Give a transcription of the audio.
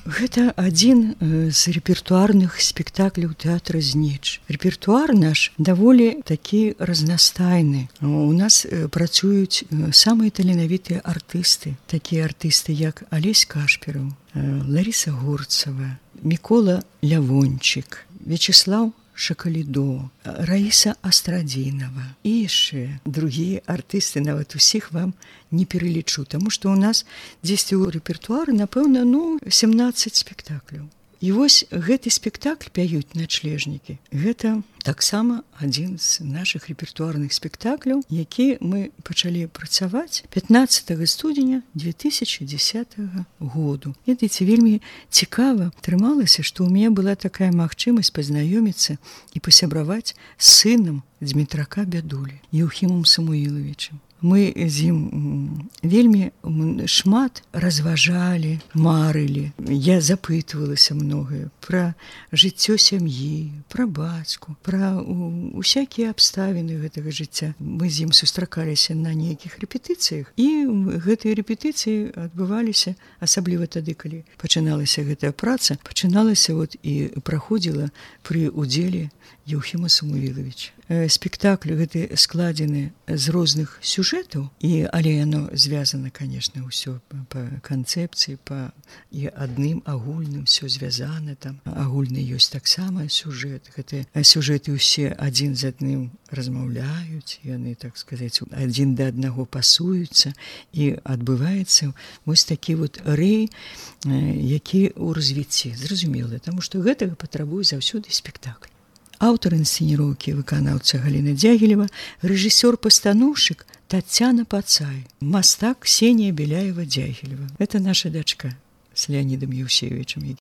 Гэта адзін з рэпертуарных спектакляў тэатра Знеч. Рэпертуар наш даволі такі разнастайны. У нас працуюць самыя таленавітыя артысты, такія артысты, як Алесь Кашпераў, Ларіса Горцава, Мікола Лявончык, Вячеслав Шакалідо, Раіса Астрадзінава і яшчэ другія артысты, нават усіх вам не пералічу, таму што ў нас дзесьці ў рэпертуары, напэўна, 17 спектакляў. І вось гэты спектакль «Пяюць начлежнікі» – гэта таксама адзін з нашых рэпертуарных спектакляў, які мы пачалі працаваць 15 студзеня 2010 году. Ведаеце, вельмі цікава атрымалася, што ў мяне была такая магчымасць пазнаёміцца і пасябраваць з сынам Дзмітрака Бядулі, Еўхімам Самуілавічам. Мы з ім вельмі шмат разважалі, марылі. Я запытвалася многае пра жыццё сям'і, пра бацьку, пра усякія абставіны гэтага жыцця. Мы з ім сустракаліся на нейкіх рэпетыцыях, і гэтыя рэпетыцыі адбываліся, асабліва тады, калі пачыналася гэтая праца, пачыналася і праходзіла пры удзеле Еўхіма Самуілавіча. Спектакль гэты складзены з розных сюжэтаў, але яно звязана, конечно, ўсё па канцэпцыі, і адным агульным все звязана там. Агульны ёсць таксама сюжэт. Гэтыя сюжэты ўсе адзін з адным размаўляюць, яны, так сказаць, адзін да аднаго пасуюцца, і адбываецца вось такі рэй, які ў развіцці. Зразумела, таму што гэтага патрабуе заўсёды спектакль. Аўтар інсцэніроўкі, выканаўца Галіна Дзягілева, рэжысёр-пастаноўшчык Тацяна Пацай, мастак Ксенія Беляева-Дзягілева. Это наша дачка з Леанідам Еўсеевічам,